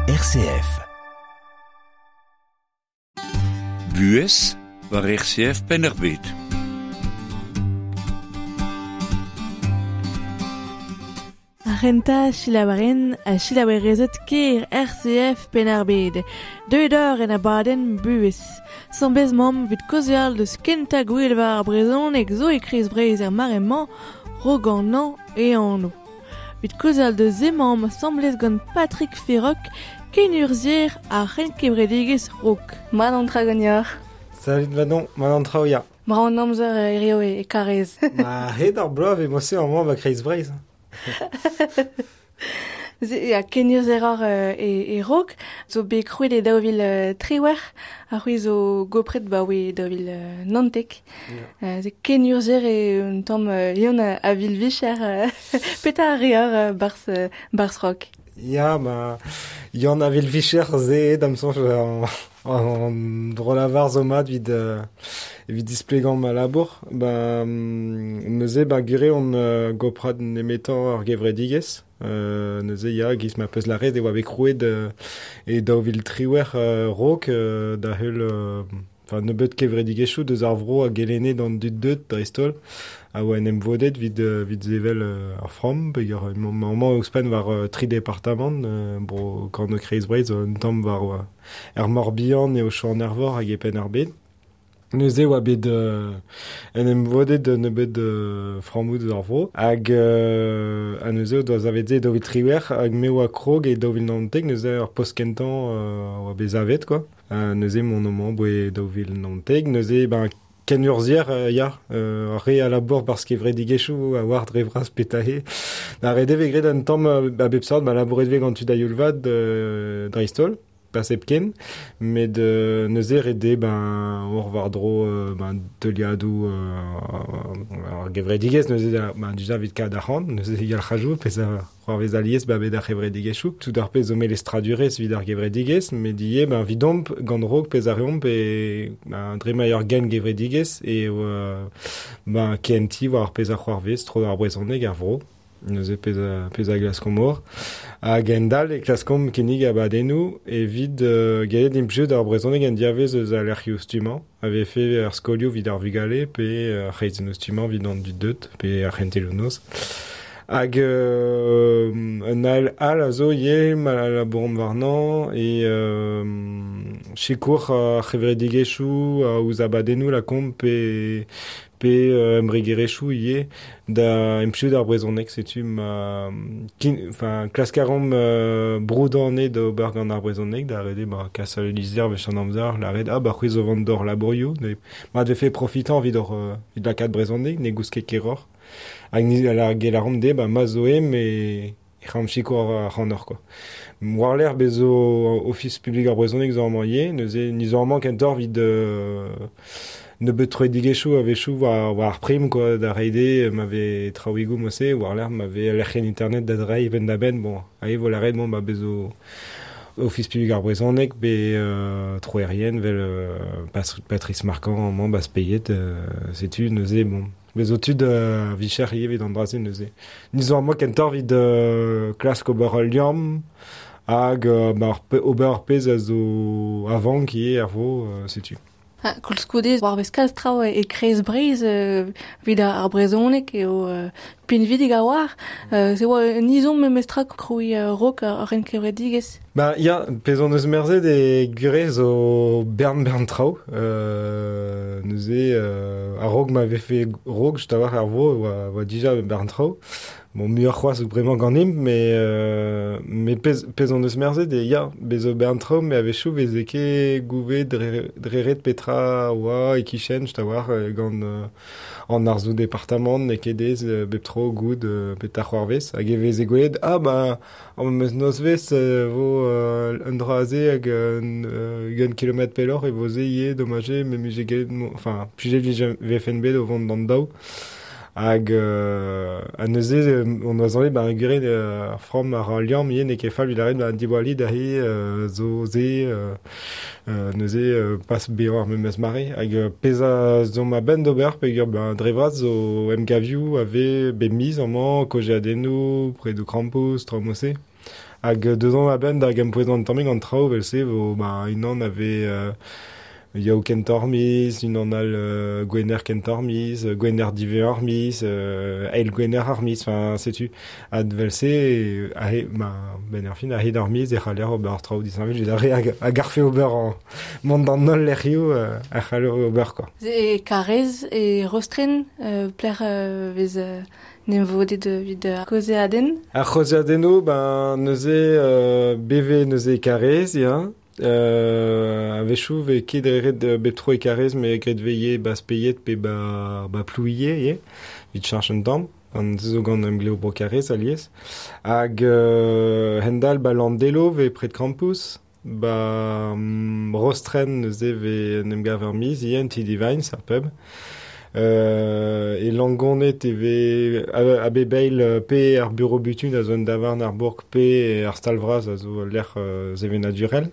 RCF. Buhez war RCF Penn-ar-Bed. Ar c'hentañ selaouerien ha selaouerezed kêr RCF Penn-ar-Bed. Deuet eur en abadenn buhez. Sambez mamm 'vit kaozeal deus kentañ gwel war ar brezhoneg zo e kreiz Breizh er mare-mañ, Roganañ e anv. 'Vit kaozeal deus emañ asambles gant Patrick Ferroc, kenurzhier ar c'henkevredigezh Raok. Mat an tra ganeoc'h. Salut Manon, mat an traoù ya. Brav an amzer hirio e Karez. Ma hed ar bloaz e mosse amañ ba Kreiz Breizh. Ya, kenurzher oc'h e Raok, zo bet krouet e 2018, ha c'hwi zo gopret 'baoe 2019. Ze kenurzher eo un tamm Yann a vil vicher. Petra a reor barzh, barzh Raok? Ya, ma Yann a vil vicher se da'm soñj an dro-lavar zo mat evit, evit displegañ ma labour. Ba, neuze, ba gure on goprad nemetañ ar gevredigezh. Neuze ya, giz ma peus lâret e oa bet krouet e 2018 raok da heul enfin nebeut kevredigezhioù deus ar vro a gelenne d'an dud deut dreist-holl a oa en em vodet evit evit sevel ar framm peogwir emañ amañ ouzhpenn war tri departamant bro kornôg Kreiz-Breizh zo un tamm war er Morbihan eo Chouan-er-Vor hag e Penn-ar-Bed. Neuze e oa bet en em vodet nebeut frammoù deus ar vro hag ha neuze o doa savet se e 2018 hag me oa krog e 2019 neuze ar post kentañ oa bet savet quoi. Neuze mont amañ 'boe 2019 neuze ben kenurzhier ya ar re a labour barzh kevredigezhioù a oar dre vras petra eo. Da ret e vez graet un tamm a bep seurt ma labouret vez gant tud a-youl vat dreist-holl. Pas hepken, met neuze ret eo ben ober war-dro ben teuliadoù ar gevredigezh neuze da ben dija evit kaout arc'hant, neuze yalc'hajoù pezh a c'hoarvez alies ba bet ar c'hevredigezhioù. Tout ar pezh zo melestradurezh evit ar gevredigezh, met ivez ben evidomp gant Raok pezh a reomp e ben dre ma eo ur gengevredigezh eo ben kehentiñ war ar pezh a c'hoarvez tro ar brezhoneg er vro. Neuze pezh a, pezh a glaskomp mor. Hag endal e klaskomp kinnig abadennoù evit gellet implijout ar brezhoneg en diavez eus al lec'hioù stummañ, a vefe ar skolioù evit ar vugale pe ar c'hreizennoù stummañ evit an dud deuet pe ar c'hentelioù-noz. Hag un ael all a zo ivez ma labouromp warnañ e sikour ar c'hevredigezhioù ouzh abadennoù lakaomp pe pe embregerezhioù ivez da implijout ar brezhoneg setu ma enfin klask a reomp broudañ anezhe d'ober gant ar brezhoneg da ret eo ba kas al lizher wech an amzer lâret ah ba c'hwi zo vont d'hor labourioù mat vefe profitañ evit hor evit lakaat brezhoneg ne goust ket keroc'h hag ni a gell a reomp dezhe ba ma zo eo e c'hallomp sikour ac'hanoc'h quoi. War-lerc'h bez zo Ofis publik ar brezhoneg zo amañ ivez, neuze ni zo amañ kentoc'h evit nebeut troidigezhioù a-wechoù war, war ar prim quoi, da reiñ dezhe ma vez traoùigoù mod-se, war-lerc'h ma vez lec'hienn internet da dreiñ penn-da-benn, bon, aze vo lâret bon, ba bez zo Ofis publik ar brezhoneg pe troerien 'vel Patrice Marquand amañ ba Speied, setu neuze bon. Bez zo tud a vicher ivez evit an dra-se neuze. Ni zo amañ kentoc'h evit klask ober ul liamm hag ba ober ar pezh a zo a vank ivez er vro, setu. Ha koulskoude, war vez kalz traoù e kreiz Breizh evit ar brezhoneg eo pinvidik a-walc'h. Se oa un izom memestra krouiñ raok ar ren kevredigezh. Ba ya, pezh hon eus merzet e Gure zo bern-bern traoù. Neuze, a-raok ma vefe raok, just a-walc'h er vro, oa, oa dija bern traoù. Bon, muioc'h c'hoazh bremañ ganimp, met, met pezh, pezh hon eus merzet eo ya, bez zo bern traoù, met a-wechoù veze ket gouvezet dre, dre ret petra oa e-kichen, just a-walc'h, gant an arzoù departamant n'eo ket aes bep tro goût petra c'hoarvez. Hag e veze gwelet, ah bah, ar memes nozvezh e vo un dra aze hag un ugent kilometr pelloc'h e vo se ivez, domaj eo, me 'mije gellet, enfin, plijet 'vije vefen bet o vont d'an daou. Hag ha neuze on oa soñjet ba gure ar framm ar liamm ivez n'eo ket fall evit lâret ba diwallit aze zo se neuze pas bezañ ar memes mare. Hag pezh a zo ma benn d'ober peogwir ba dre vras zo emgavioù a vez bep miz amañ, kaozeadennoù, predoù krampouezh, traoù mod-se. Hag deus an a-benn da gempouezañ an tammig an traoù vel-se vo ba unan a vez Yaou kentoc'h miz, unan all gwener kentoc'h miz, gwener diwezhañ ar miz, eil gwener ar miz, enfin setu. Hag vel-se, ahe, ma, ben ar fin, a-hed ar miz e c'haller ober traoù disheñvel, evit ar re a garfe ober an, mont d'an holl lec'hioù a c'haller ober, quoi. E Karez, e Rostren, plec'h vez n'em vodet evit ar c'hozeadenn? Ar c'hozeadennoù, ben neuze, beve neuze e Karez, ya. A-wechoù vez ket ret bep tro e Karez, met graet vez ba Speied pe ba Plouie ivez, evit cheñch un tamm. An zo gant emglev bro Karez alies. Hag hend-all ba Landelo vez pred Krampouezh, ba Rostren neuze vez en em gav ar miz ivez, en ti Divines, ar pub. E Langonnet e vez a bep eil pe ar bureau butun a zo un davarn ar bourg pe ar stal vras a zo lec'h sevenadurel.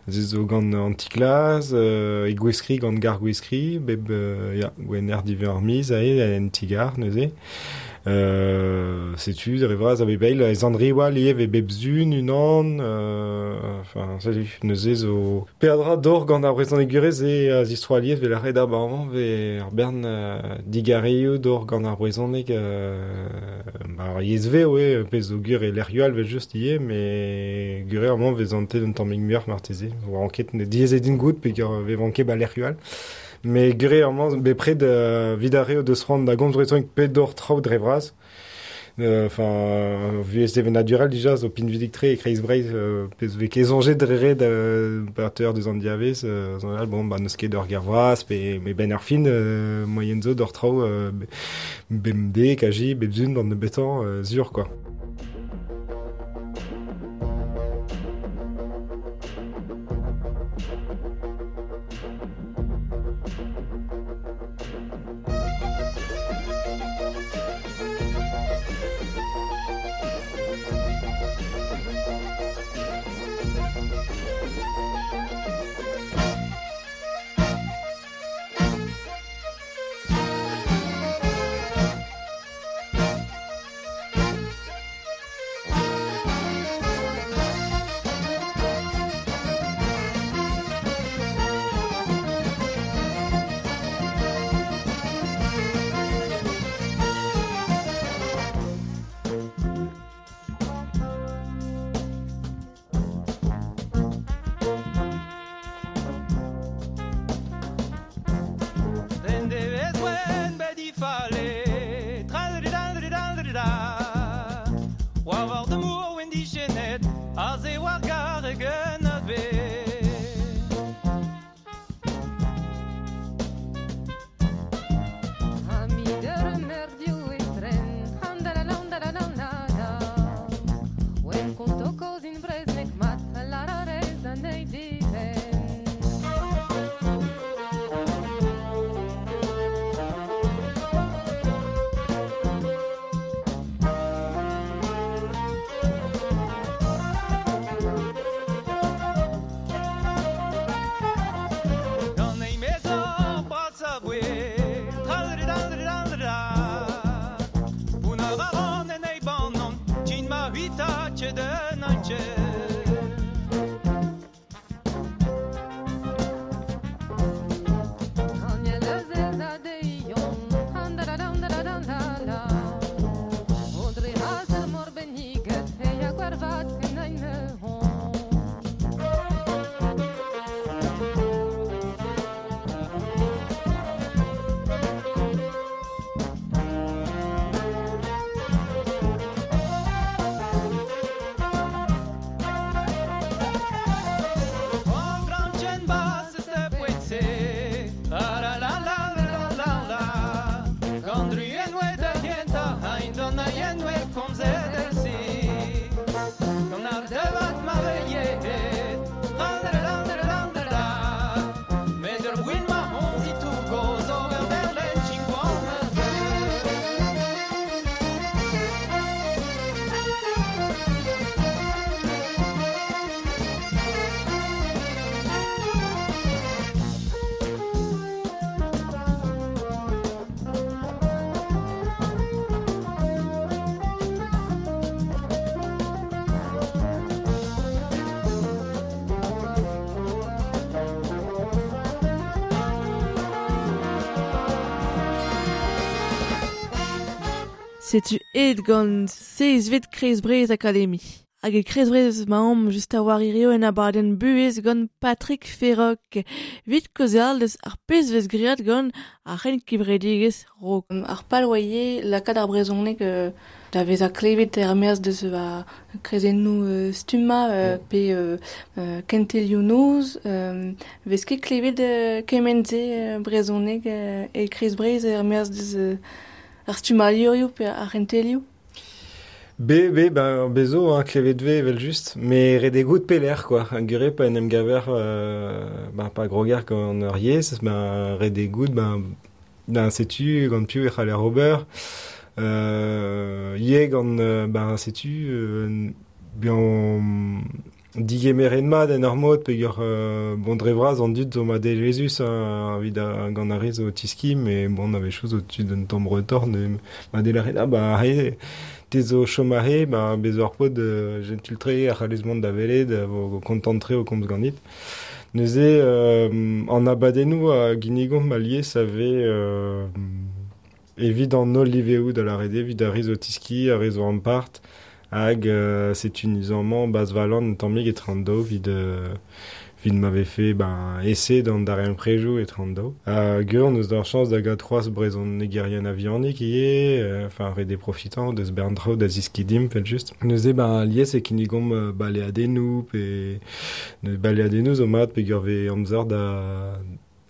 Ze zo gant an ti-klas, e Gweskri gant gar Gweskri, bep ya, gwener diwezhañ ar miz aze, en ti-gar neuze. Setu, dre vras a bep eil, e Zandriwal ivez vez bep zun unan, enfin, setu, neuze zo peadra d'or gant ar brezhonegurez e a zistro alies vel ar red ar amañ vez ar bern digarioù d'or gant ar brezhoneg, ba ar yezh vev eo, pezh zo gur e lec'hioù all vel just ivez, met gur eo amañ vez antet un tammig muioc'h marteze, oa anket diaes eo din goût peogwir vez vanket ba lec'hioù all. Mais gure amañ bepred evit ar re o deus c'hoant da gomz brezhoneg pe d'or traoù dre vras. Enfin, vuhez sevenadurel dija zo pinvidik-tre e kreiz Breizh, pezh vez ket soñjet dre ret parter deus an diavez, soñjal, bon, ba n'eus ket ur ger vras, pe me benn ar fin, moyen zo d'or traoù bemdez, kaji, bep zun d'an nebeutañ, sur, quoi. Setu aet gant seizhvet Kreiz Breizh Akademi. Hag e Kreiz Breizh 'maomp just a war hirio en abadenn buhez gant Patrick Ferroc. 'Vit kaozeal deus ar pezh 'vez graet gant ar c'henkevredigezh Raok. Ar pal 'oa ivez lakaat ar brezhoneg da vezañ klevet er-maez deus ar kreizennoù stummañ pe kentelioù noz. 'Vez ket klevet kement-se brezhoneg e Kreiz Breizh er-maez deus ar stummadurioù pe ar c'hentelioù. Be, be, ben, bezo, hein, klevet 'vez evel-just, met ret eo goût pelec'h, quoi. Gure pa en em gaver, ben, pa groger gant ur yezh, ben, ret eo goût, ben, setu gant piv e c'haller ober. Ivez gant, ben, setu, buan digemeret mat en ur mod peogwir bon dre vras an dud zo madelezhus evit gant ar re zo o tiskiñ met bon a-wechoù zo tud un tamm retort madelezh ah bah aze te zo chom aze bah bez zo ur paotr jentil-tre a c'hallez mont da welet vo kontant-tre o komz ganit. Neuze an abadennoù a ginnigomp alies a vez evit an holl liveoù da lâret eo evit ar re zo tiskiñ, ar re zo ampart. Hag setu niz-amañ bazhvalan un tammig etre an daou evit evit ma vefe ben ese d'an darempredoù etre an daou. Hag on eus d'ar chañs da gaout c'hoazh brezhonegerien a-vihanik ivez, enfin ret eo profitañ deus bern traoù da zeskiñ dimp evel-just. Neuze ben alies e kinnigomp baleadennoù pe baleadennoù zo mat peogwir 'vez amzer da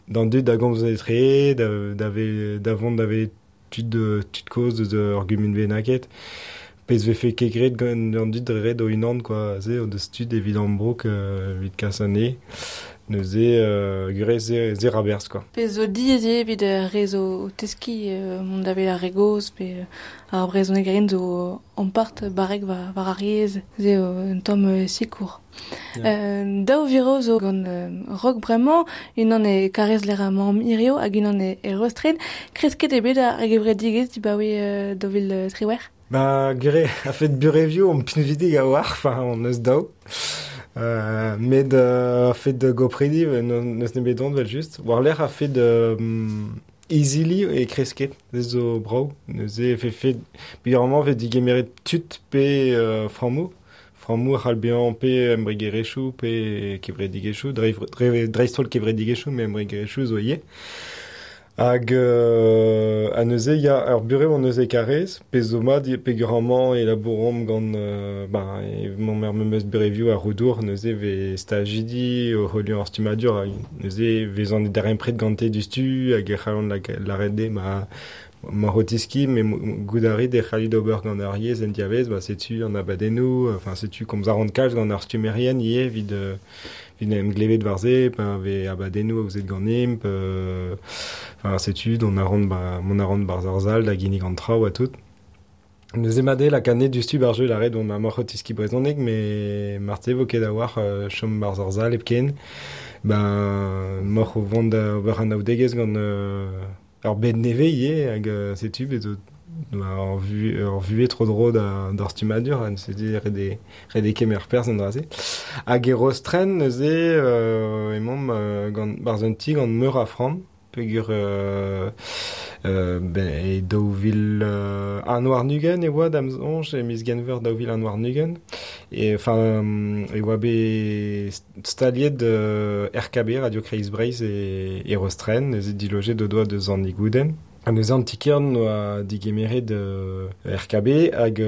d'an dud da gomz etre, da vont da welet tud tud kozh deus ur gumun bennaket. Pezh 'vefe ket graet gant an dud dre ret o-unan quoi, se o deus tud evit ambroug evit kas anezhe. Neuze gwir se ra berzh quoi. Pezh zo diaes eo evit ar re zo o teskiñ mont da welet ar re gozh pe ar brezhonegerien zo ampart barrek war ar yezh. Se eo un tamm sikour. Daou viro zo gant Raok bremañ, unan e Karrez lec'h emaomp hirio hag unan e Rostren. Kresket eo bet ar gevredigezh dibaoe 2018. Ba gwir a-fet burevioù omp pinvidik a-walc'h, enfin on eus daou. Met a-fet gopridi n'eus nemet don evel-just. War-lerc'h a-fet izili e kresket, se zo brav. Neuze e vefe peogwir amañ 'vez digemeret tud pe frammoù. Frammoù a c'hall bezañ pe embregerezhioù pe kevredigezhioù, dreist-holl kevredigezhioù, met embregerezhioù zo ivez. Hag ha neuze ya, ur burev hon eus e Karrez, pezh zo mat peogwir amañ e labouromp gant ben emaomp er memes burevioù a Roudour, neuze 'vez stajidi o heuliañ ar stummadur hag neuze e vezan e darempred gante diouzhtu hag e c'hallont lâret dezhe ma ma o teskiñ met goût a rit e c'hallit ober gant ar yezh en diavaez, ba setu an abadennoù, enfin setu komz a ran kalz gant ar stummerien ivez evit evit en em glevet war se, pa vez abadennoù aozet ganimp, enfin setu dont a ran ba mont a ran 'barzh ar sal da ginnig an traoù ha tout. Neuze mat eo lakaat anezhe diouzhtu 'barzh jeu lâret on amañ o teskiñ brezhoneg met marteze 'vo ket a-walc'h chom 'barzh ar sal hepken. Ben 'maoc'h o vont da ober anaoudegezh gant ur bed nevez ivez hag setu bet zo ur vuhez tro-dro d'ar stummadur ha neuze ret eo kemer perzh en dra-se. Hag e Rostren neuze emaomp gant 'barzh un ti gant meur a framm peogwir ben e 2021 e oa da'm soñj e miz Genver 2021 e enfin e oa bet staliet RKB Radio Kreiz Breizh e Rostren neuze dilojet o doa deus an Igoudenn. Ha neuze an ti-kêr 'noa digemeret RKB hag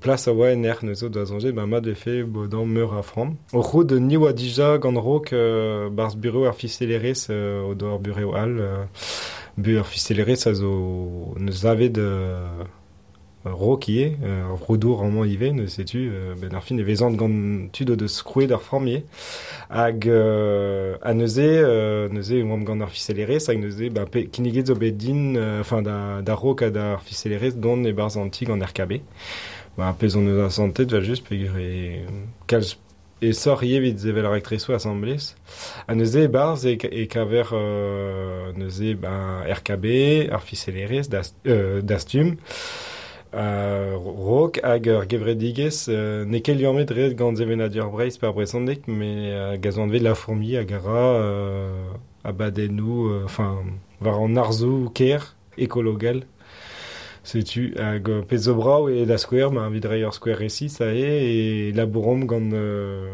plas a oa en erc'h neuze o doa soñjet ben mat 'vefe bodañ meur a framm. O c'hoût ni 'oa dija gant Raok 'barzh burev ar fiselerezh o doa ur burev all ur fiselerezh a zo 'neus savet Raok ivez, ur roudour amañ ivez, neuze setu benn ar fin e vezan gant tud o deus krouet ar framm ivez. Hag ha neuze neuze e oamp gant ar fiselerezh hag neuze ba kinniget zo bet din enfin da Raok ha d'ar fiselerezh dont e-barzh an ti gant RKB. Ba pezh hon eus asantet evel-just peogwir e kalz aesoc'h ivez evit sevel raktresoù asambles. Ha neuze e-barzh e kaver neuze ben RKB, ar fiselerezh, Dastum, Raok hag ur gevredigezh n'eo ket liammet ret gant sevenadur Breizh pe ar brezhoneg met hag a zo anvet La Fourmi hag a ra abadennoù enfin war an arzoù-kaer ekologel. Setu hag pezh zo brav eo da skouer, ma evit reiñ ur skouer resis aze, e labourom gant,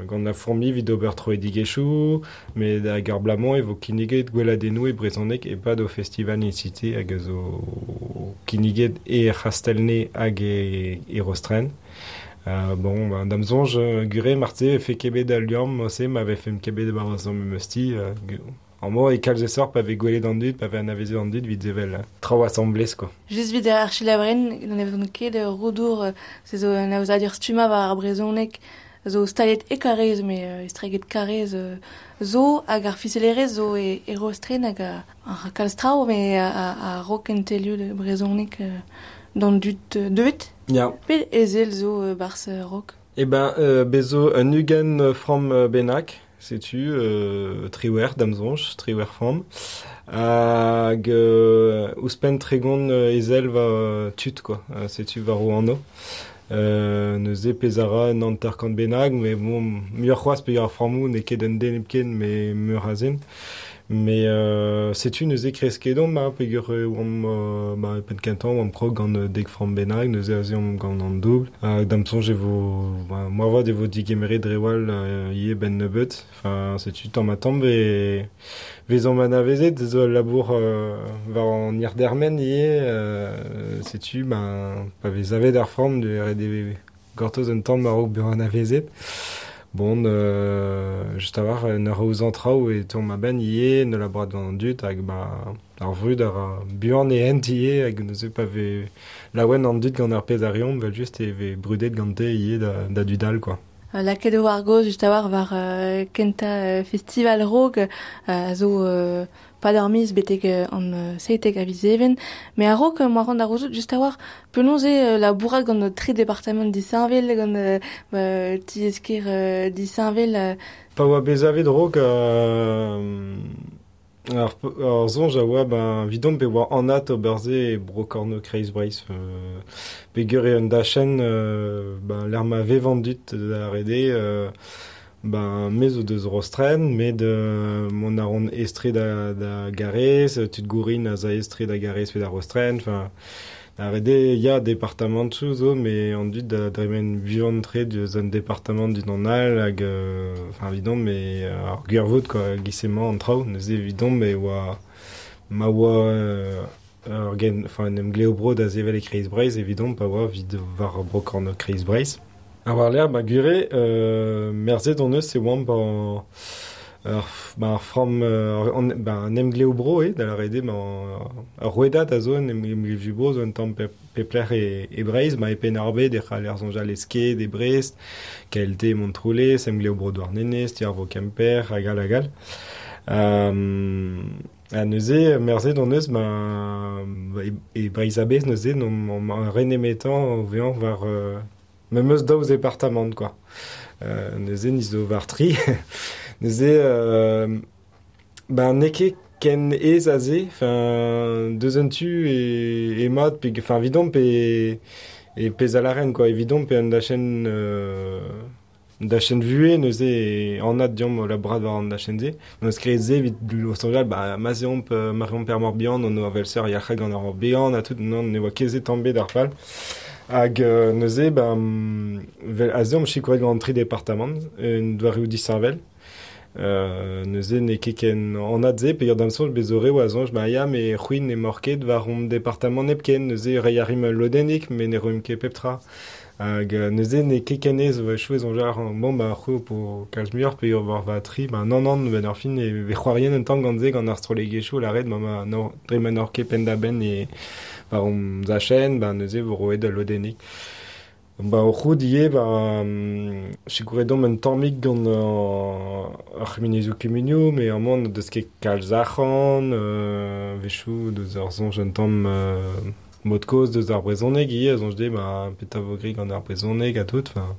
gant la fourmi evit ober troidigezhioù, met hag ar bloaz-mañ e vo kinniget gweladennoù e brezhoneg e-pad o festival in cité hag a zo kinniget e C'hastelne hag e Rostren. Bon, ben, da'm soñj, gure marteze e vefe ket bet al liamm ose ma vefemp ket bet e-barzh ar memes ti. Amañ e kalz esoc'h pa vez gwelet an dud, pa vez anavezet an dud evit sevel traoù asambles, quoi. Just evit ar selaouerien n'anavezont ket Roudour, se zo un aozadur stummañ war ar brezhoneg zo staliet e Karaez, met estreget Karaez zo, hag ar fiselerezh zo e Rostren hag ar kalz traoù, met a-raok kentelioù brezhoneg d'an dud deuet. Ya. Pet ezel zo 'barzh Raok? Eh ben, bez zo un 20 framm bennak. Setu 18 da'm soñj, 18 framm. Hag ouzhpenn 30 ezel va tud, quoi. Setu war o anv. Neuze pezh a ra un 50 bennak, met bon, muioc'h c'hoazh peogwir ar frammoù n'eo ket un den hepken, met meur a zen. Mais setu neuze kresket omp, ha peogwir e oamp ba, e penn kentañ oamp krog gant dek framm bennak, neuze aze omp gant an doubl. Hag da'm soñj e vo, ba, moarvat e vo digemeret dre wall ivez 'benn nebeut. Enfin, setu tamm-ha-tamm e vezomp anavezet zo al labour war an hir-dermen ivez. Setu, ben, pa vez savet ar framm, ret eo gortoz un tamm a-raok bezañ anavezet. Bon, just a-walc'h, en ur aozañ traoù e teuomp a-benn ivez, en ul labourat gant an dud hag ba ar vrud a ra buan e hent ivez hag neuze pa vez laouen an dud gant ar pezh a reomp, evel-just e vez brudet gante ivez da dud all, quoi. Lakaet eo ar gaoz just a-walc'h war kentañ festival Raok a zo pad ar miz betek an 17 a viz Even. Met a-raok moa c'hoant da gouzout just a-walc'h penaos eo labourat gant tri departamant disheñvel, gant tiez-kêr disheñvel. Pa oa bet savet Raok, ar soñj a oa ben, evidomp e oa anat ober se e bro kornôg Kreiz Breizh. Peogwir eo un dachenn ben, lec'h ma vev an dud da ret eo, ben, me zo deus Rostren, met mont a ran aes-tre da Garez, tud Gourin a za aes-tre da Garez pe da Rostren, enfin, da ret eo, ya, departamantoù zo, met an dud da dremen buan-tre deus un departamant d'unan all, hag enfin, evidomp eo ar gwirvoud, quoi, giz emañ an traoù, neuze evidomp e oa ma oa ur gen, enfin, un emglev-bro da sevel e Kreiz Breizh, evidomp pa oa evit war bro kornôg Kreiz Breizh. Ha war-lerc'h, ba gwir eo, merzet hon eus e oamp ar framm, an emglev-bro eo, da lâret eo, ar rouedad a zo un emglev-bro zo un tamm pep lec'h e Breizh, ma e Penn-ar-Bed e c'haller soñjal e Sked, e Brest, KLT Montroulez, emglev-bro Douarnenez, Ti ar Vro Kemper, hag all hag all. Ha neuze, merzet hon eus, ma, e Breizh a-bezh neuze, n'omp re nemetañ o vezañ war memes daou zepartamant, quoi. Neuze, ni zo war tri. Neuze, ben, n'eo ket ken aes aze, enfin, deus un tu e mat, pe, enfin, evidomp e pezh a lâren, quoi, evidomp e un dachenn dachenn vuhez, neuze e anat deomp o labourat war an dachenn-se. N'eus graet se evit o soñjal, ba, ma 'z eomp, ma reomp er Morbihan, on oa vel-se yac'hed gant ar Morbihan ha tout, non, ne oa ket se tamm bet ar pal. Hag neuze, ben, aze omp sikouret gant an tri departamant, un doareoù disheñvel. Neuze n'eo ket ken anat se, peogwir da'm soñj bez zo reoù a soñj, ba ya, met c'hwi n'emaoc'h ket war hon departamant hepken, neuze reiñ a rimp ul lodennig, met ne roimp ket pep tra. Hag neuze n'eo ket ken aes, a-wechoù e soñjer, bon, ba c'hwi ho po kalz muioc'h peogwir war va tri, ba nann, nann, benn ar fin e vez c'hoarien un tamm gant se, gant ar strollegezhioù lâret, ma ma dre ma n'oc'h ket penn-da-benn e war hon zachenn, ba neuze vo roet ul lodennig. Ba o c'hoût ivez, ba sikouret omp un tammig gant ar c'humuniezhioù kumunioù, met amañ n'o deus ket kalz arc'hant, a-wechoù deus ar soñj un tamm mod-kozh deus ar brezhoneg ivez, a soñj dezhe, ba petra vo graet gant ar brezhoneg ha tout. Enfin,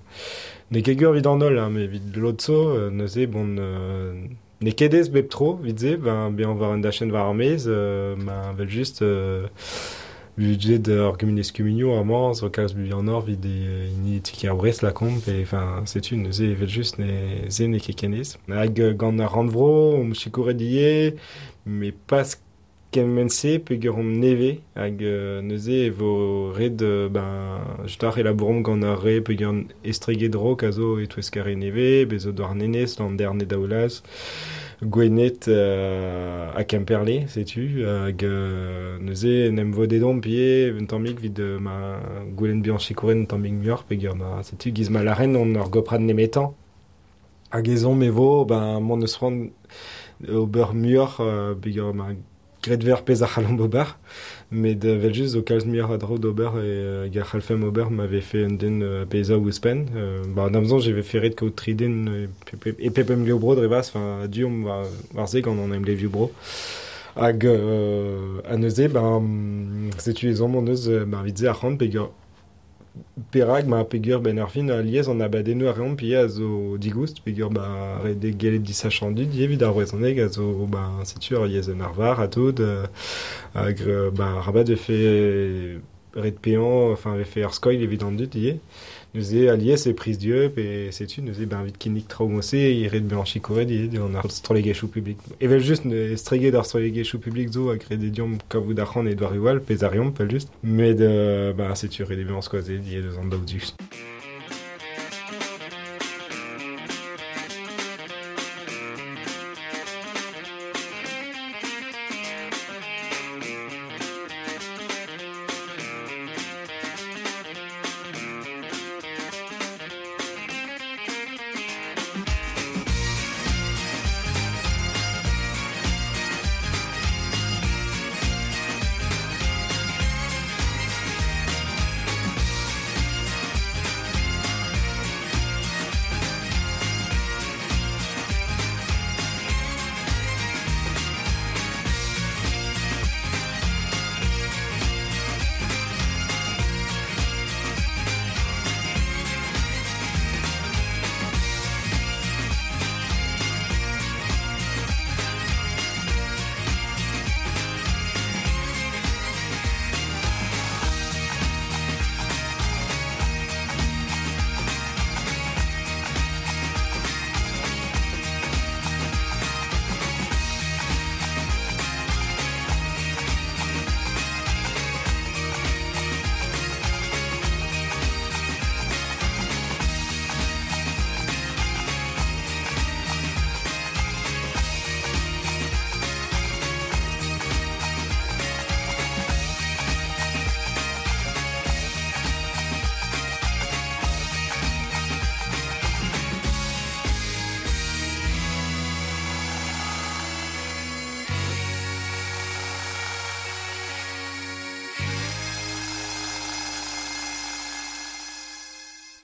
n'eo ket gwir evit an holl, hein, met evit lod zo, neuze, bon, n'eo ket aes bep tro evit se, ben, bezañ war un dachenn war ar maez, ma evel-just budget ar gumuniezh kumunioù amañ zo kalz buanoc'h evit hini ti-kêr Brest lakaomp, pe enfin setu neuze evel-just ne se n'eo ket ken aes. Hag gant ar rannvro omp sikouret ivez, met pas kement-se peogwir omp nevez hag neuze e vo ret ben just e labouromp gant ar re peogwir estreget Raok a zo e-touesk ar re nevez, bez zo Douarnenez, Landerne Daoulaz, Gwened ha Kemperle, setu, hag neuze en em vodet omp ivez un tammig evit ma goulenn bezañ sikouret un tammig muioc'h peogwir ma setu giz ma lâren on ur goprad nemetañ. Hag ezhomm e vo ben mont eus c'hoant ober muioc'h peogwir ma graet vez ar pezh a c'hallomp ober, met evel-just zo kalz muioc'h a draoù d'ober hag a c'hallfemp ober ma vefe un den bezañ ouzhpenn. Ba d'am soñj e vefe ret kaout tri den e pep emglev bro dre vras, enfin a-du omp war se gant an emglevioù bro. Hag ha neuze ben setu ezhomm hon eus ben evit se arc'hant peogwir perak ma peogwir benn ar fin alies an abadennoù a reomp ivez a zo digoust peogwir ba ret eo gellet disachañ an dud ivez evit ar brezhoneg a zo ba setu ur yezh en arvar ha tout hag ba arabat vefe ret paeañ enfin vefe ur skoilh evit an dud ivez. Neuze alies e priz dieub e setu neuze ben evit kinnig traoù mod-se eo ret bezañ sikouret ivez gant ar strollegezhioù publik. Evel-just estreget ar strollegezhioù publik zo a grede deomp kavout arc'hant e doareoù all, pezh a reomp evel-just. Met ben setu ret eo bezañ skoazet ivez deus an daou du.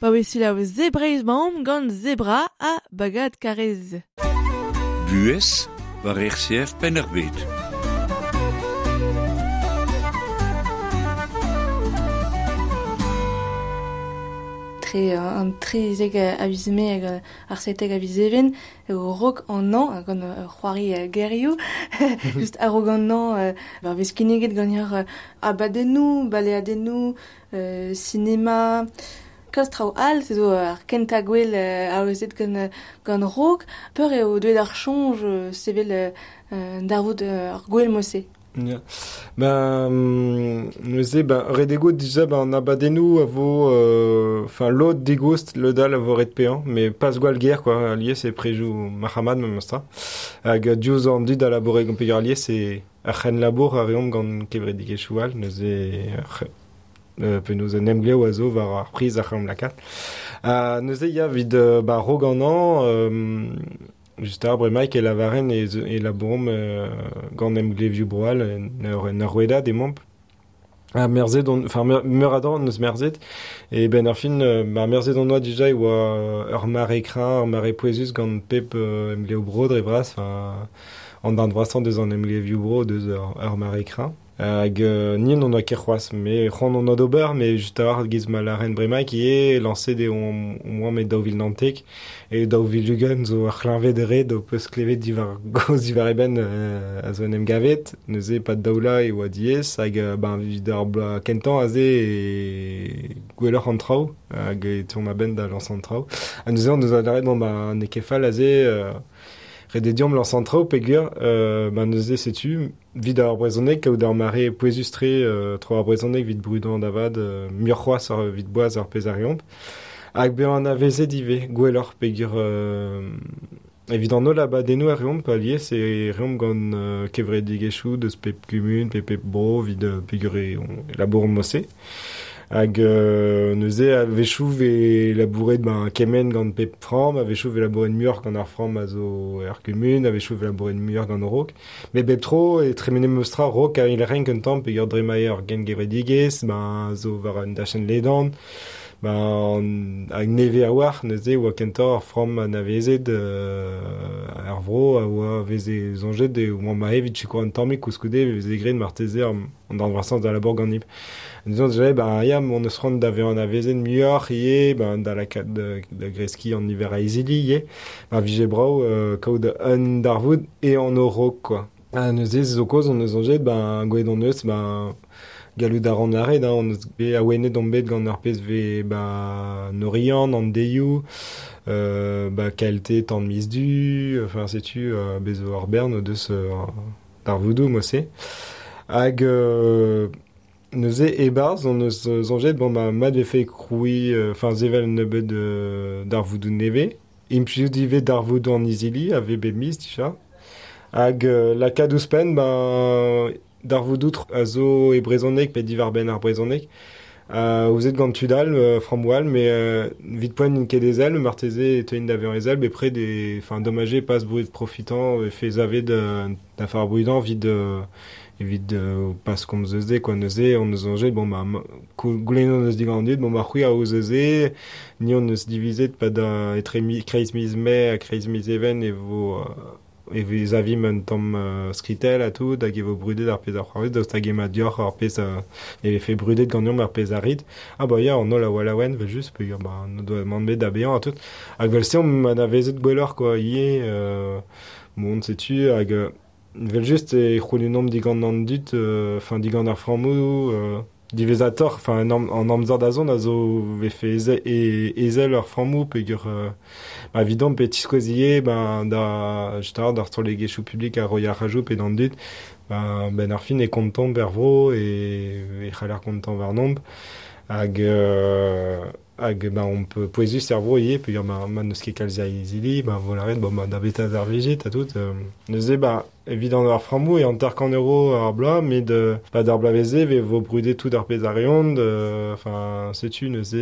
Pa oe selaou Zebreiz maomp gant Zebra ha Bagad Karez. Buhez war RCF Penn-ar-Bed. Tre an trezek a viz mae hag ar setek a viz even, eo rok an an, gant c'hoari gerioù, just a-raok an an, war vez kinniget gant ur abadennoù, baleadennoù, sinema, kalz traoù all, se zo ar kentañ gwell aozet gant Raok. Peur eo deuet ar soñj sevel darvoud ar gwell mod-se. Ya. Ben, neuze, ben, ret eo dija ben, an abadennoù a vo, enfin, lod digoust, lod all a vo ret paeañ, mais pas gwall ger, quoi, alies e prejoù marc'hamad memes tra. Hag diouzh an dud a laboure gant peogwir alies e ar c'henlabour a reomp gant kevredigezhioù all, neuze penaos un emglev a zo war ar priz a c'hellomp lakaat. Neuze ya evit ba raok an an, just ar bremaik e lavaren e labouromp gant emglevioù bro all en ur rouedad emaomp. Ha merzet on, enfin meur a dra neus merzet, e ben ar fin ba merzet on oa dija e oa ur mare kreñv, ur mare pouezus gant pep emglev bro dre vras, enfin an darn vrasañ deus an emglevioù bro deus ur mare kreñv. Hag ni n'on oa ket c'hoazh, mais c'hoant on oa d'ober, mais just a-walc'h giz ma lâren bremaik ivez, lañset eo on oa met 2019, e 2020 zo ur c'hleñved ret o peus klevet diwar goz diwar e benn a zo en em gavet, neuze pad daou vloaz e oa diaes, hag ben evit ar bloaz kentañ aze e gwelloc'h an traoù, hag e teuomp a-benn da lañsañ an traoù. Ha neuze on deus lâret bon ba n'eo ket fall aze, Ret eo deomp lañs an traoù peogwir ben neuze setu 'vit ar brezhoneg kaout ar mare pouezus-tre tro ar brezhoneg 'vit brudañ da vat muioc'h c'hoazh 'vit boaz ar pezh a reomp. Hag bezañ anavezet ivez gwelloc'h peogwir evit an holl abadennoù a reomp alies e reomp gant kevredigezhioù deus pep kumun pe pep bro 'vit peogwir e labouromp mod-se. Hag neuze a-wechoù 'vez labouret ben kement gant pep framm, a-wechoù 'vez labouret muioc'h gant ar framm a zo er gumun, a-wechoù 'vez labouret muioc'h gant Raok. Met bep tro e tremene memes tra Raok a eil renk un tamm peogwir dre ma eo ur gengevredigezh, ben zo war un dachenn ledan, ben hag nevez a-walc'h neuze e oa kentoc'h ur framm anavezet er vro a oa veze soñjet e oamp aze evit sikour un tammig koulskoude e veze graet marteze an darn vrasañ da labour ganimp. Disons déjà, ben ya, on eus c'hoant da vezañ anavezet muioc'h ivez, ben da lakaat da greskiñ an niver a izili ivez. Ma vije brav kaout un darvoud e anv Raok quoi. Ha neuze zo kaoz on eus soñjet, ben gwelet hon eus, ben gallout a ran lâret, hein, on eus bet awenet omp bet gant ar pezh 'vez ba an Oriant, an Deioù, ba KLT tan miz Du, enfin setu bez zo ur bern o deus darvoudoù mod-se. Hag neuze e-barzh on eus soñjet bon ba mat 'vefe krouiñ, enfin sevel un nebeud darvoudoù nevez, implijout ivez darvoudoù an izili a vez bep miz dija. Hag lakaat ouzhpenn ben darvoudoù a zo e brezhoneg pe diwar-benn ar brezhoneg. Ouzet gant tud all, frammoù all, met evit poent n'int ket ezel, marteze e teuint da vezañ ezel bepred e enfin domaj eo pas brudet profitañ e fe savet da far brudañ evit pas komz eus se quoi. Neuze on eus soñjet bon ba goulennet hon eus digant an dud bon ba c'hwi a ouz se, ni hon eus divizet pa da etre kreiz miz Mae ha kreiz miz Even e vo e vez avimp un tamm skritell ha tout hag e vo brudet ar pezh a c'hoarvez daoust hag emañ deoc'h ar pezh e vefe brudet ganeomp ar pezh a rit. Ah bah ya, an holl a oa laouen evel-just peogwir ba n'o doa mann bet da baeañ ha tout. Hag evel-se omp anavezet gwelloc'h quoi ivez bon setu hag evel-just e c'houlennomp digant an dud, enfin digant ar frammoù diwezhatoc'h, enfin an amzer da zont a zo vefe ezel ar frammoù peogwir ba evidomp e tiskouez ivez ben da just d'ar strollegezhioù publik a roiñ ar rajoù pe d'an dud, ben ar fin e kontomp er vro e c'haller kontañ warnomp hag hag ben on peut pouezus er vro ivez peogwir ma n'eus ket kalz a izili, ben vo lâret bon ben da beta ar vijit ha tout. Neuze ben evit an ar frammoù e 50 euro ar bloaz, met ba d'ar bloavezh-se e vo brudet tout ar pezh a reont, enfin setu neuze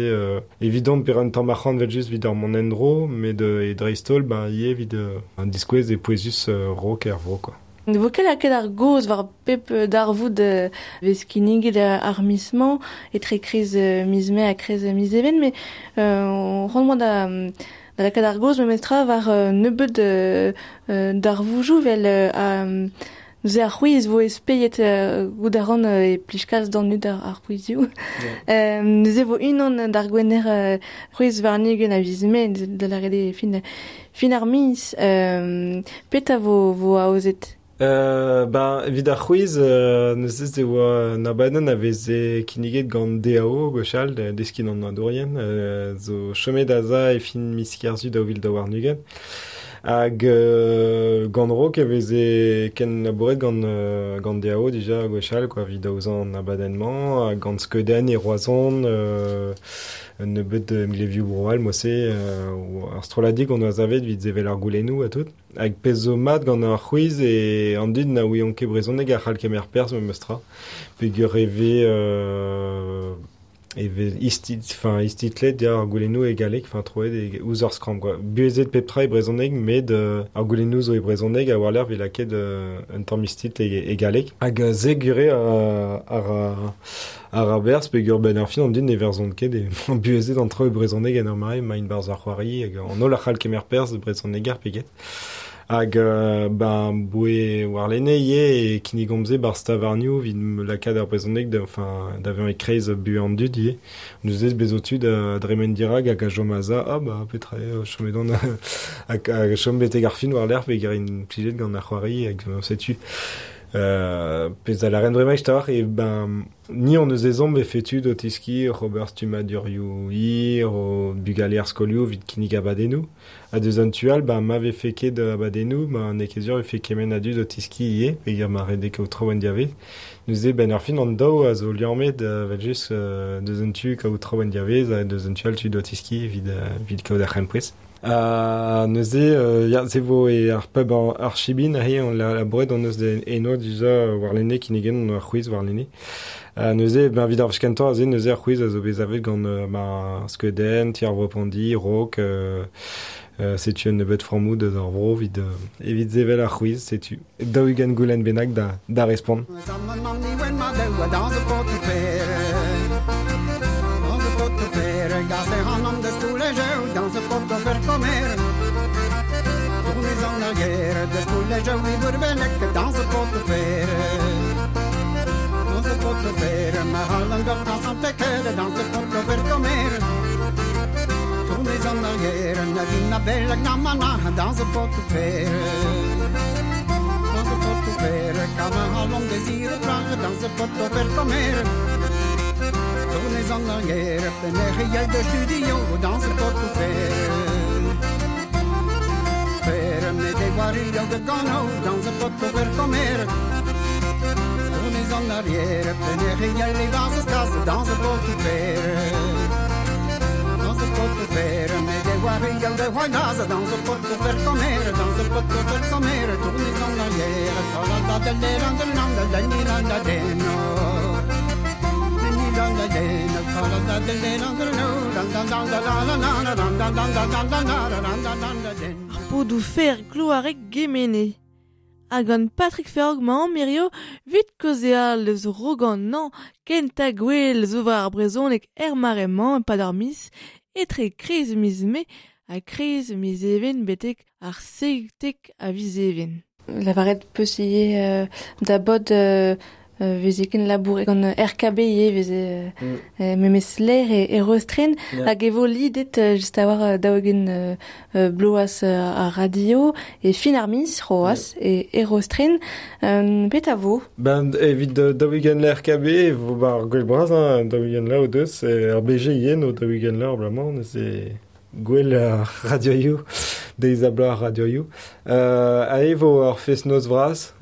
evidomp pe un tamm arc'hant evel-just evit ar mont en-dro, met e dreist-holl ben ivez evit an diskouez e pouezus Raok er vro quoi. Ne vo ket lakaet ar gaoz war pep darvoud vez kinniget ar miz-mañ etre kreiz miz Mae ha kreiz miz Even, met c'hoant 'oa da lakaat ar gaoz memestra war nebeud darvoudoù 'vel neuze ar c'hwiz vo espeiet goût a ran e plij kalz d'an dud ar c'hwizioù. Neuze vo unan d'ar gwener c'hwez warn-ugent a viz Mae, da lâret eo fin ar miz. Petra vo aozet? Ben, evit ar c'hwiz, neuze e oa un abadenn a veze kinniget gant DAO gwechall, deskiñ an oadourien, zo chomet aze e fin miz Kerzu 2022. Hag gant Raok e veze kenlabouret gant DAO dija gwechall quoi, evit aozañ an abadenn-mañ, hag gant Skeudenn e Roazhon, un nebeud emglevioù bro all mod-se, ar strolladig on oa savet evit sevel ar goulennoù ha tout. Hag pezh zo mat gant ar c'hwiz e an dud na ouiont ket brezhoneg a c'hall kemer perzh memes tra. Peogwir e vez istitlet ya ar goulennoù e galleg, enfin troet e ouzh ar skramm quoi. Buhezet pep tra e brezhoneg, met ar goulennoù zo e brezhoneg a war-lerc'h 'vez lakaet un tamm istitl e galleg. Hag se gure ar aberzh peogwir benn ar fin an dud ne verzont ket e buhezet an traoù e brezhoneg en ur mare emaint 'barzh ar c'hoari hag an holl a c'hall kemer perzh brezhoneger pe get. Hag ben boe warlene ivez e kinnigomp se 'barzh tavarnioù evit lakaat ar brezhoneg da enfin da vezañ e-kreiz buhez an dud ivez. Neuze bez zo tud a dremen dirak hag a chom aze, ah bah petra eo chomet on hag a chom betek ar fin war-lerc'h peogwir int plijet gant ar c'hoari hag setu. Pezh a laren bremañ istor, e ben, ni on eus ezhomm vefe tud o teskiñ oc'h ober stummadurioù hir, o bugale ar skolioù evit kinnig abadennoù. Ha deus an tu all, ben, ma vefe ket abadennoù, ben, n'eo ket sur vefe kement a dud o teskiñ ivez, peogwir ma redek kaout traoù en diavez. Neuze, ben, ar fin an daou a zo liammet, evel-just, deus an tu kaout traoù en diavez, ha deus an tu all tud o teskiñ evit kaout ar c'hempouez. Neuze, ya, se vo e ar pub ar Chibin, aze, on la labouret on eus eno dija warlene kinnigen ar c'hwiz warlene. Neuze, ben, evit ar wech kentañ aze, neuze ar c'hwiz a zo bet savet gant ma skeudenn, ti ar vro Pondi, Raok, setu un nebeud frammoù deus ar vro evit sevel ar c'hwiz, setu 40 goulenn bennak da respont. Ar podoù fer kloareg Gemene. Hag gant Patrick Ferog mañ mirio 'vit kaozeal eus Rogan-nañ kentañ gwell zo war ar brezhoneg er mare-mañ e-pad ar miz, etre kreiz miz Mae ha kreiz miz Even betek ar 17 a viz Even. Lavaret peus ivez da bod veze ken labouret gant RKB ivez veze memes ler e Rostren hag e vo lidet just a war 40 bloaz ar radio e fin ar miz c'hoazh e Rostren. Petra vo? Ben, evit 40 la RKB e vo bar gwell bras, hein, 40 la o deus, ar BG ivez no 40 la bremañ, neuze gwell ar radioioù, deiz ha bloaz ar radioioù. A e vo ur fest-noz vras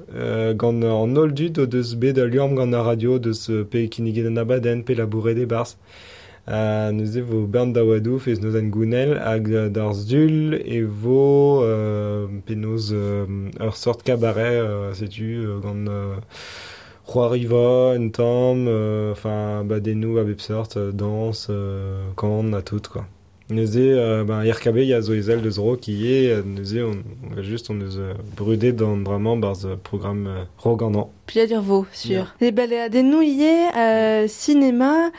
gant an holl dud o deus bet al liamm gant ar radio, deus pe kinniget an abadenn, pe labouret e-barzh. Neuze vo bern daouadoù, fest-noz en gounel, hag d'ar sul e vo penaos ur sort cabaret, setu, gant c'hoariva, un tamm, enfin abadennoù a bep sort, danse, kan ha tout, quoi. Neuze, ben, RKB ya zo ezel deus Raok ivez, neuze on va just on eus brudet d'an dra-mañ barzh programme Roganan. Plijadur vo, sur. E baleadennoù ivez, cinéma,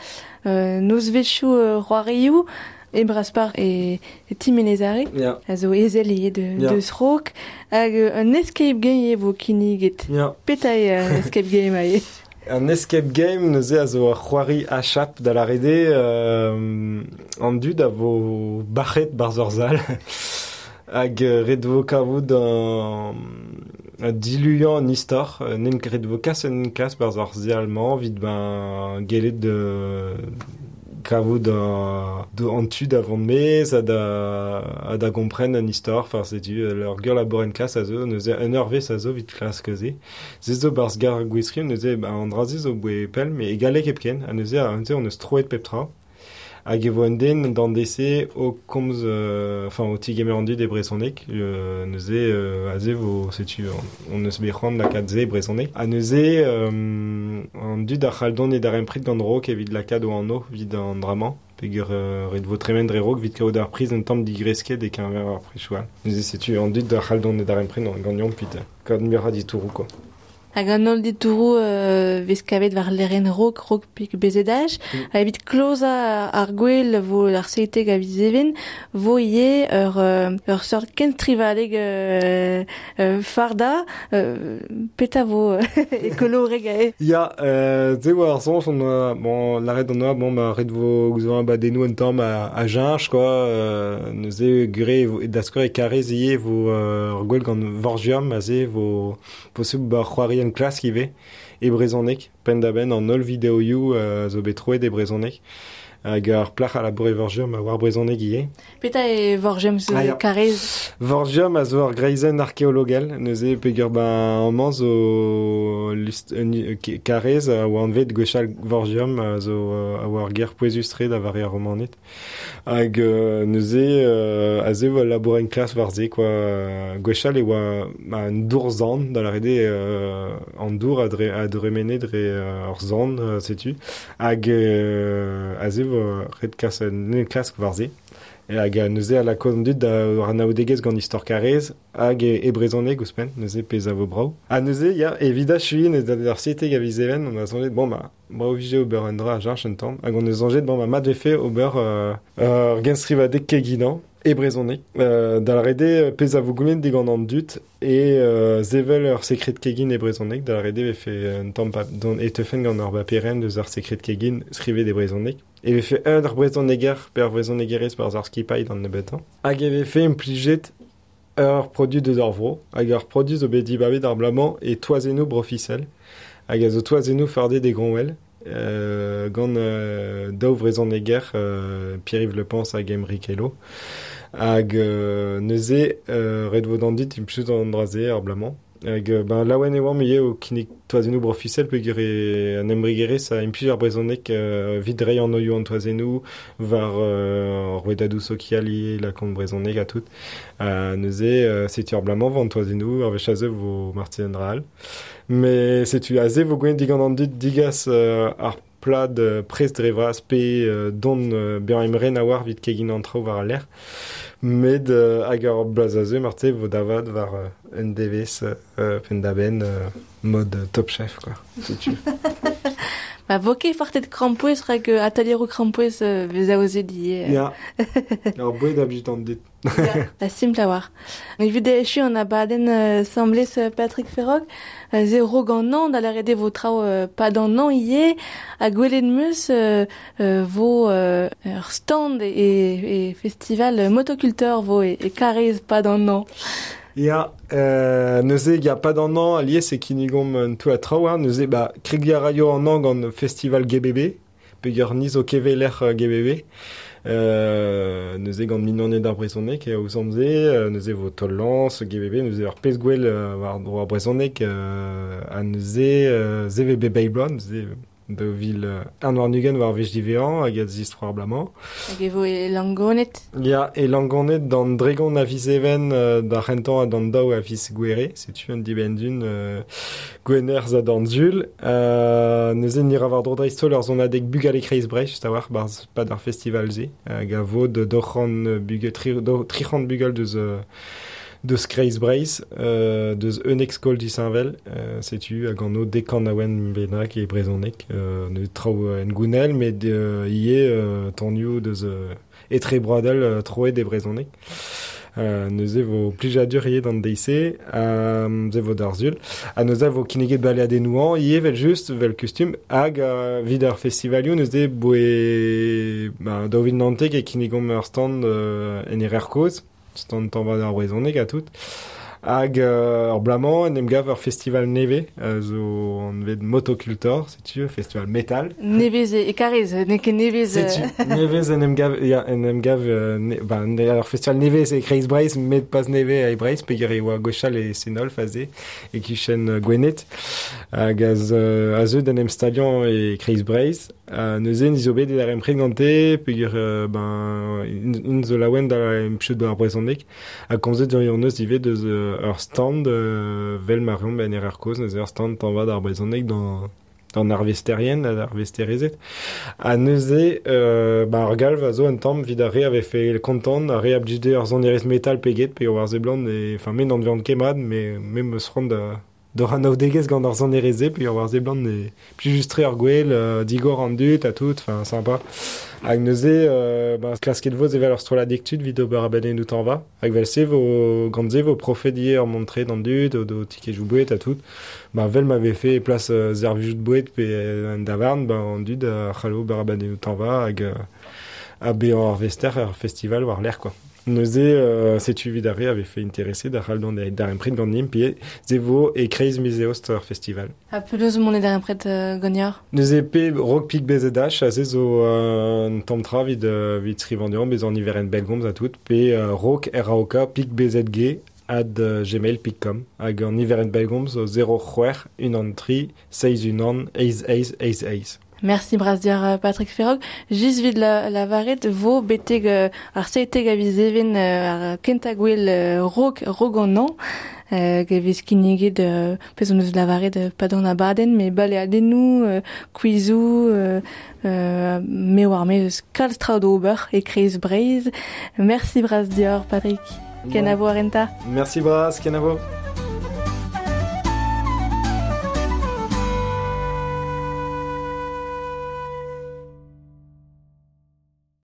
nozvezhioù c'hoarioù, e Braspar e Timenezare, a zo ezel ivez deus Raok, hag un escape game ivez vo kinniget. Petra eo un escape game ivez? Un escape game neuze a zo ur c'hoari achap da lâret eo an dud a vo bac'het barzh ur sal hag ret vo kavout un diluiañ an istor, n'en ret vo kas un klas barzh ar sal-mañ evit ben gellet kavout an tu da vont maez ha da gompren an istor. Enfin, setu ur gwir labour en klas a zo, neuze un eurvezh a zo evit klask se. Se zo barzh gar Gwiskrim, neuze an dra-se zo boe pell, met e galleg hepken, ha neuze on eus troet pep tra. Hag e vo un den d'an DC o komz, enfin, o tigemer an dud e brezhoneg, neuze aze vo, setu, on eus bet c'hoant lakaat se e brezhoneg. Ha neuze, an dud a c'hall dont e darempred gant Raok evit lakaat o anv evit an dra-mañ, peogwir ret vo tremen dre Raok evit kaout ar priz un tamm digresket e-keñver ar prizioù all. Neuze setu an dud a c'hall dont e darempred ganeomp evit kaout muioc'h a ditouroù, quoi. Hag an holl ditouroù vez kavet war lec'hienn Raok, Raok pik BZH. Ha evit klozañ ar gwel vo ar 17 a viz Even, vo ivez ur seurt kenstrivadeg farda, petra vo ekoloreg aze? Ya, se oa ar soñj, on oa, bon, lâret on oa, bon, ma ret vo gouzout abadennoù un tamm a jeñch, quoi, neuze gure da skouer e Karez ivez vo ur gwel gant Vorgium, aze vo possible ba c'hoari labourien klask ivez e brezhoneg penn-da-benn an holl videoioù zo bet troet e brezhoneg hag ar plac'h a labour e Vorgium a war brezhoneg ivez. Petra e Vorgium zo karrez? Vorgium a zo ur greizenn arkeologel, neuze peogwir ben amañ zo karrez a oa anvet gwechall Vorgium a zo a oa ur ger pouezus-tre da vare ar Romaned. Hag neuze aze e oa labour en klas war se quoi. Gwechall e oa un dour-zan, da lâret eo an dour a dremene dre ur zan, setu. Hag aze vo ret kas un klask war se. Hag neuze a lakaat an dud da anaoudegezh gant istor karrez hag e brezhoneg ouzhpenn, neuze pezh a vo brav. Ha neuze, ya, evit achuiñ neuze d'ar 7 a viz Even, on a soñjet, bon, ma, brav vije ober un dra a cheñch un tamm, hag on eus soñjet, bon, ma, mat vefe ober ur genstrivadeg keginañ e brezhoneg. Da lâret eo pezh a vo goulennet digant an dud e sevel ur sekred kegin e brezhoneg, da lâret eo vefe un tamm e teufen gant ur baperenn deus ar sekred kegin skrivet e brezhoneg. E vefe un ur brezhoneger pe ur brezhonegerez barzh ar skipailh d'an nebeutañ. Hag e vefe implijet ur produit deus ar vro, hag ur produit zo bet dibabet ar bloaz-mañ e toazennoù brofisel, hag a zo toazennoù fardet e Groñwel, gant daou vrezhoneger, Pierre-Yves Le Pans hag Aymeric Hello. Hag neuze ret vo d'an dud implijout an dra-se ar bloaz-mañ. Hag ben, laouen e oamp ivez o kinnig toazennoù brofisel peogwir e an embregerezh a implij ar brezhoneg evit reiñ an oioù an toazennoù war ar rouedadoù sokial ivez lakaont brezhoneg ha tout. Neuze setu ar bloaz-mañ vo an toazennoù, ar wech aze vo marteze un dra all. Mais setu aze vo gwelet digant an dud digas ar plad prest dre vras pe don bezañ emren a-walc'h evit kegin an traoù war al lec'h. Met hag ar bloaz aze marteze vo davat war un devezh penn-da-benn mod Top Chef quoi. Setu. Ba vo ket fartet krampouezh rak atalieroù krampouezh vez aozet ivez. Ya. Ur boued a blij d'an dud. La simpl a-walc'h. Evit echu an abadenn semblez Patrick Ferrog, ze rog an an da lâret eo vo traoù pad an an ivez, ha gwelet 'meus vo ur stand e festival motoculteur vo e Karrez pad an an. Ya, neuze ya pad an an alies e kinnigomp un toullad traoù, hein, neuze ba kregiñ a raio an an gant festival GBB, peogwir ni zo keveler GBB. Neuze gant mignoned ar brezhoneg eo ouzhomp-se, neuze vo taol-lañs, GBB, neuze ur pezh gwell war dro ar brezhoneg, ha neuze se vez bep eil bloaz, neuze daou vil un warn-ugent war wech diwezhañ hag a zistro ar bloaz-mañ. Hag e vo e Langoned? Ya, e Langoned d'an dregont a viz Even d'ar c'hentañ ha d'an daou a viz Gouere, setu un dibenn-dun Gwener za d'an Sul. Neuze ni ra war-dro dreist-holl ur sonadeg bugale Kreiz Breizh, just a-walc'h, barzh pad ar festival-se, hag a vo de doc'hant bugel, tric'hant bugel deus Kreiz Breizh, deus unnek skol disheñvel, setu hag an o dek kanaouenn bennak e brezhoneg, neuze traoù en gounell, met ivez tonioù deus etrebroadel troet e brezhoneg. Neuze vo plijadur ivez d'an deiz-se, se vo d'ar Sul. Ha neuze vo kinniget baleadennoù ivez vel-just, vel kustum, hag evit ar festivalioù neuze boe ba, 2019 e kinnigomp ur stand en Erer Kozh, stand tañva ar brezhoneg ha tout. Hag ur bloaz-mañ en em gav ur festival nevez zo anvet Motocultor, setu festival metal. Nevez e Karrez, n'eo ket nevez. Setu, nevez en em gav, ya, en em gav ba, ur festival nevez e Kreiz Breizh, met pas nevez e Breizh, peogwir e oa gwechall e Senolf aze, e-kichen Gwened, hag a zeu d'en em staliañ e Kreiz Breizh. Neuze ni zo bet e darempred gante, peogwir ben, int zo laouen da implijout ar brezhoneg, ha komzet hon eus ivez deus ur stand vel ma reomp en Erer Kozh, neuze ur stand tañva d'ar brezhoneg d'an arvesterien, d'ar arvesterezed. Ha neuze, ba, ar galv a zo un tamm evit ar re a vefe kontant, ar re a blij dezhe ur sonerezh metal pe get, pe war seblant, e, enfin, me n'an vean ket mat, mais me 'm eus c'hoant da d'hor anaoudegezh gant ar sonerezh-se, pe war seblant e plijus-tre ar gwel, digor an dud ha tout, enfin, sympa. Hag neuze, ba, klasket vo evel ur strolladig tud evit ober abadennoù tañva. Hag vel-se vo, gant se vo profet ivez ur mont-tre d'an dud, o tikejoù boued ha tout. Ba, vel ma vefe e plas servijout boued pe un davarn, ba, an dud a c'hallo ober abadennoù tañva hag ha bezañ arvester er festival war-lerc'h, quoi. Neuze setu evit ar re a vefe intereset da c'hall dont darempred ganimp pe ze vo e kreiz miz eost ar festival. Ha penaos mont e darempred ganeoc'h? Neuze pe rock pik BZH a se zo un tamm tra evit, evit skrivañ deomp bezañ niverenn bellgomz ha tout pe rock RAOK pik BZG ad gmail.com hag an niverenn bellgomz zo 0 c'hwec'h unan tri seizh unan eizh eizh eizh eizh. Merci bras deoc'h Patrick Ferrog. Just 'vit la, lavaret vo betek ar seitek a viz Even ar kentañ gwell rok, rok an hañv. E vez kinniget pezh hon eus lavaret pad an abadenn, met baleadennoù, kwizoù, me oar me eus kalz traoù d'ober e kreiz Breizh. Merci bras deoc'h Patrick. Kenavo ar renta. Merci bras, kenavo.